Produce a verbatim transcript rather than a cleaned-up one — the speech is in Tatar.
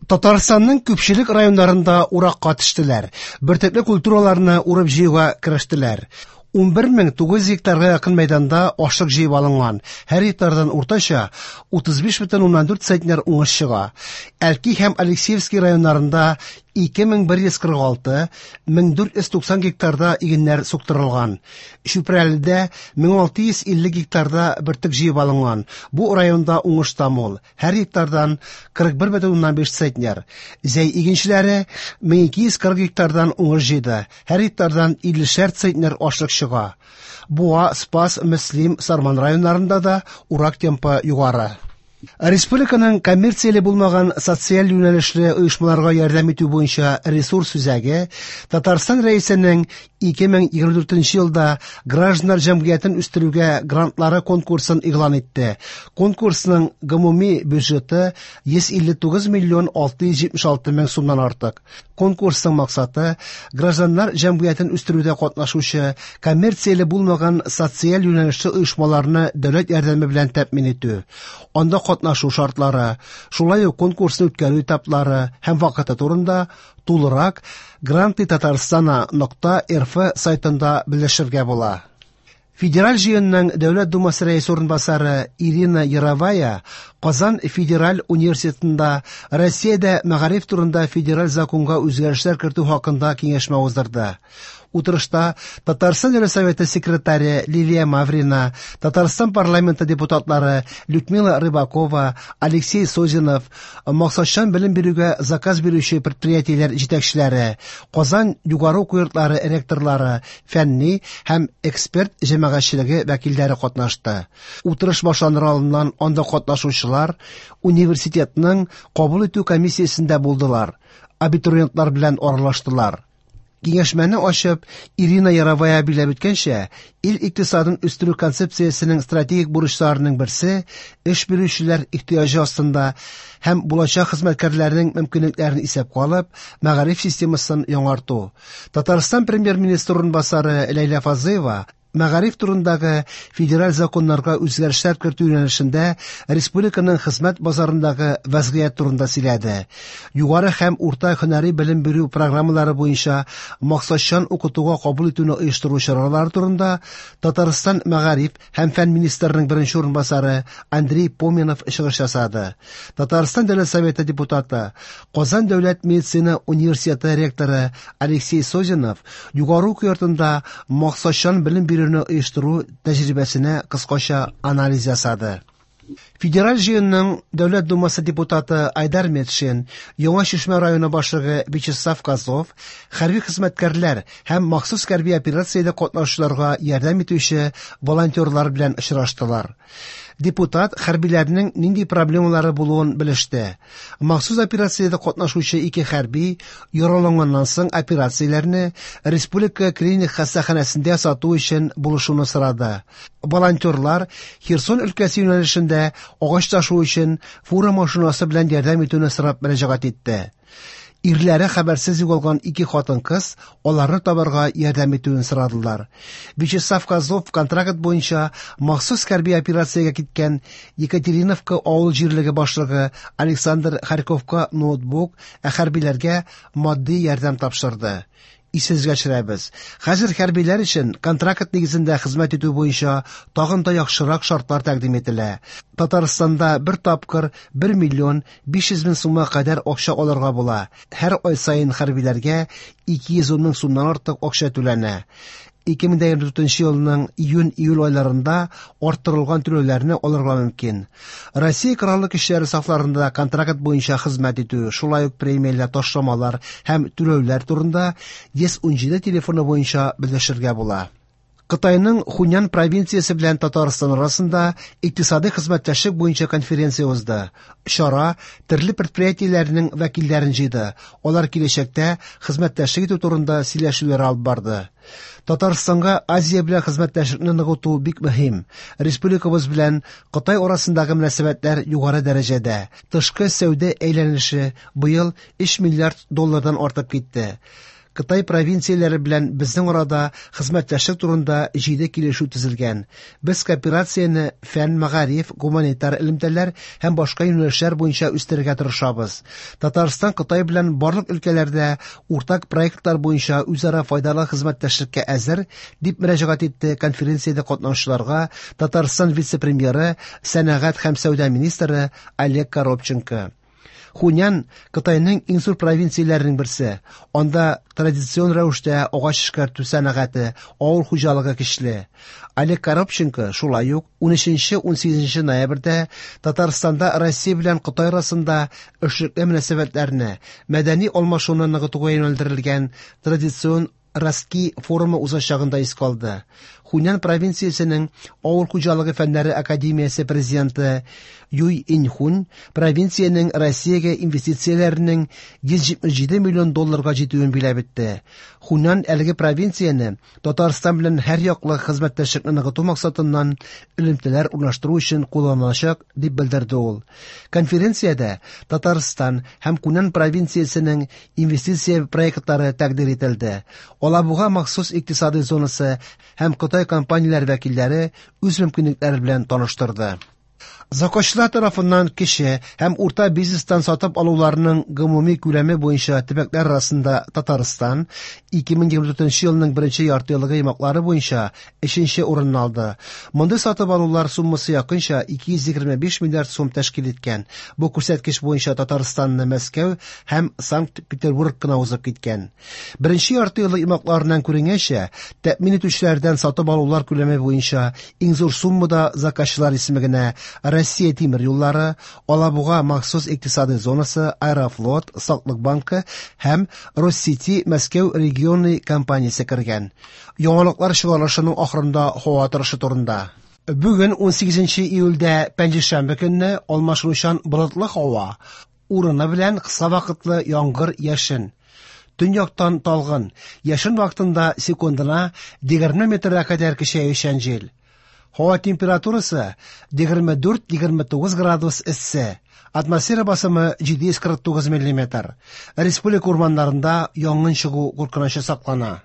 Татарстанның күпчелек районнарында уракка төштеләр. Бөртекле культураларны урып җыюга керештеләр. Унбер мең тугыз йөз гектарга якын мәйданда ашлык җыеп алынган. Һәр гектардан уртача утыз биш бөтен уннан дүрт центнер уңыш чыга. Әлки һәм Алексеевский районнарында ике мең бер йөз кырык алты, мең дүрт йөз туксан гектарда игеннәр суктырылган. Чүпрәледә мең алты йөз илле гектарда бөртек җыеп алынган. Бу районда уңыш та мул. Һәр гектардан кырык бер бөтен уннан биш центнер. Зәй игенчеләре мең ике йөз кырык гектардан уңыш җыйды. Һәр гектардан иллешәр центнер ашлык чыга. Буа, Спас, Мөслим, Сарман районнарында да урак темпы югары. Республиканың коммерцияле булмаган социаль юнәлешле оешмаларга ярдәм итү буенча ресурс үзәге Татарстан Рәисенең ике мең егерме дүртенче елда гражданнар җәмгыятен үстерүгә грантлары конкурсын игълан итте. Конкурсның гомуми бюджеты йөз илле тугыз миллион алты йөз җитмеш алты мең сумнан артык. Конкурсның максаты гражданнар җәмгыятен үстерүдә катнашучы коммерцияле булмаган социаль юнәлешле оешмаларны дәүләт ярдәме белән тәэмин итү. Анда катнашу шартлары, шулай ук конкурсны үткәрү этаплары һәм вакыты турында тулырак гранты Татарстана нокта рф сайтында белешергә була. Федераль җыенның Дәүләт Думасы рәисе урынбасары Ирина Яровая Казан федераль университетында Россиядә мәгариф турында федераль законга үзгәрешләр кертү хакында киңәшмә уздырды. Утырышта Татарстан Дәүләт Советы секретаре Лилия Маврина, Татарстан парламенты депутатлары Людмила Рыбакова, Алексей Созинов, максатчан белем бирүгә заказ бирүче предприятиеләр җитәкчеләре, Казан югары уку йортлары ректорлары, фәнни һәм эксперт җәмәгатьчелеге вәкилләре катнашты. Утырыш башланыр алдыннан анда катнашучылар университетның кабул итү комиссиясендә булдылар, абитуриентлар белән аралаштылар. Киңәшмәне ачып, Ирина Яровая билгеләп үткәнчә, ил икътисадын үстерү концепциясенең стратегик бурычларының берсе эш бирүчеләр ихтыяҗы астында һәм булачак хезмәткәрләрнең мөмкинлекләрен исәпкә алып, мәгариф системасын яңарту. Татарстан премьер-министры урынбасары Ләйлә Фазлыева мәгариф турындагы федераль законнарга үзгәрешләр кертү юнәлешендә республиканың хезмәт базарындагы вәзгыять турында сөйләде. Югары һәм урта һөнәри белем бирү программалары буенча максатчан укытуга кабул итүне оештыру чаралары турында Татарстан мәгариф һәм фән министрының беренче урынбасары Андрей Поминов чыгыш ясады. Татарстан Дәүләт Советы депутаты, Казан дәүләт медицина университеты ректоры Алексей Созинов югары уку йортында максатчан белем бирү оештыру тәҗрибәсенә кыскача анализ ясады. Федераль җыенның Дәүләт Думасы депутаты Айдар Метшин, Яңа Чишмә районы башлыгы Вячеслав Козлов, хәрби хезмәткәрләр һәм махсус хәрби операциядә катнашучыларга ярдәм итүче волонтерлар белән очраштылар. Депутат хәрбиләрнең нинди проблемалары булуын белеште. Махсус операциядә катнашучы ике хәрби яраланганнан соң операцияләрне Республика клиник хастаханәсендә сату өчен булышуны сорады. Волонтерлар Херсон өлкәсе юнәлешендә агач ташу өчен фура машинасы белән ярдәм итүне сорап мөрәҗәгать итте. Ирләре хәбәрсез югалган ике хатын-кыз аларны табарга ярдәм итүен сорадылар. Вячеслав Козлов контракт буенча махсус хәрби операциягә киткән Екатериновка авыл җирлеге башлыгы Александр Харьковка ноутбук, ә хәрбиләргә матди ярдәм тапшырды. Исегезгә төшерәбез. Хәзер хәрбиләр өчен контракт нигезендә хезмәт итү буенча тагын да яхшырак шартлар тәкъдим ителә. Татарстанда бер тапкыр бер миллион биш йөз мең сумга кадәр акча алырга була. Һәр ай саен хәрбиләргә ике йөз ун мең сумнан артык акча түләнә. Ике мең егерме дүртенче елның июнь-июль айларында арттырылган түләүләрне алырга мөмкин. Россия Кораллы Көчләре сафларында контракт буенча хезмәт итү, шулай ук премияләр, ташламалар һәм түләүләр турында йөз ун җиде телефоны буенча белешергә була. Кытайның Хунян провинциясе белән Татарстан арасында икътисади хезмәттәшлек буенча конференция узды. Чара төрле предприятиеләрнең вәкилләрен җыйды. Алар киләчәктә хезмәттәшлек итү турында сөйләшүләр алып барды. Татарстанга Азия белән хезмәттәшлекне ныгыту бик мөһим. Республикабыз белән Кытай арасындагы мөнәсәбәтләр югары дәрәҗәдә. Тышкы сәүдә әйләнеше быел өч миллиард доллардан артып китте. Кытай провинцияләре белән безнең арада хезмәттәшлек турында җиде килешү төзелгән. Без кооперацияне фән, мәгариф, гуманитар элемтәләр һәм башка юнәлешләр буенча үстерергә тырышабыз. Татарстан Кытай белән барлык өлкәләрдә уртак проектлар буенча үзара файдалы хезмәттәшлеккә әзер, дип мөрәҗәгать итте конференциядә катнашучыларга Татарстан вице-премьеры, сәнәгать һәм сәүдә министры Олег Коробченко. Хунян Кытайның иң зур провинцияләренең берсе. Анда традицион рәвештә агач эшкәртү сәнәгате, авыл хуҗалыгы көчле. Олег Коробченко шулай ук унөченче-унсигезенче ноябрьдә Татарстанда Россия белән Кытай арасында эшлекле мөнәсәбәтләрне, мәдәни алмашуны ныгытуга юнәлдерелгән традицион Ростки форумы узачагын да искә алды. Хунян провинциясенең Авыл хуҗалыгы фәннәре академиясе президенты Юй Инхун провинциянең Россиягә инвестицияләренең йөз җитмеш җиде миллион долларга җитүен биләп итте. Хунян әлеге провинцияне Татарстан белән һәр яклы хезмәттәшлекне ныгыту максатыннан элемтәләр урнаштыру өчен кулланылачак, дип белдерде ул. Конференциядә Татарстан һәм Хунян провинциясенең инвестиция проектлары тәкъдир ителде. Алабуга махсус икътисади зонасы һәм Кытай компанияләре вәкилләре үз мөмкинлекләре белән таныштырды. Заказчылар тарафыннан кече һәм урта бизнестан сатып алуларның гомуми күләме буенча төбәкләр арасында Татарстан ике мең егерме дүртенче елның беренче яртыеллыгы йомгаклары буенча өченче урынны алды. Мондый сатып алулар суммасы якынча ике йөз егерме биш миллиард сум тәшкил иткән. Бу күрсәткеч буенча Татарстанны Мәскәү һәм Санкт-Петербург кына узып киткән. Беренче яртыеллык йомгакларыннан күренгәнчә, тәэмин итүчеләрдән сатып алулар күләме буенча иң зур суммада заказчылар исемлегенә Россия тимер юллары, Алабуга махсус икътисади зонасы, Аэрофлот, Саклык банкы һәм Россети Мәскәү регионы компаниясе кергән. Яңалыклар чыгарылышының ахырында һава торышы турында. Бүген унсигезенче июльдә пәнҗешәмбе көнне алмашынучан болытлы һава, урыны белән кыска вакытлы яңгыр, яшен. Төньяктан талгын, яшен вакытында секундына егерме метрга кадәр көчәючән җил. Һава температурасы егерме дүрт-егерме тугыз градус эссе. Атмосфера басымы җиде йөз кырык тугыз миллиметр. Республика урманнарында янгын чыгу куркынычы саклана.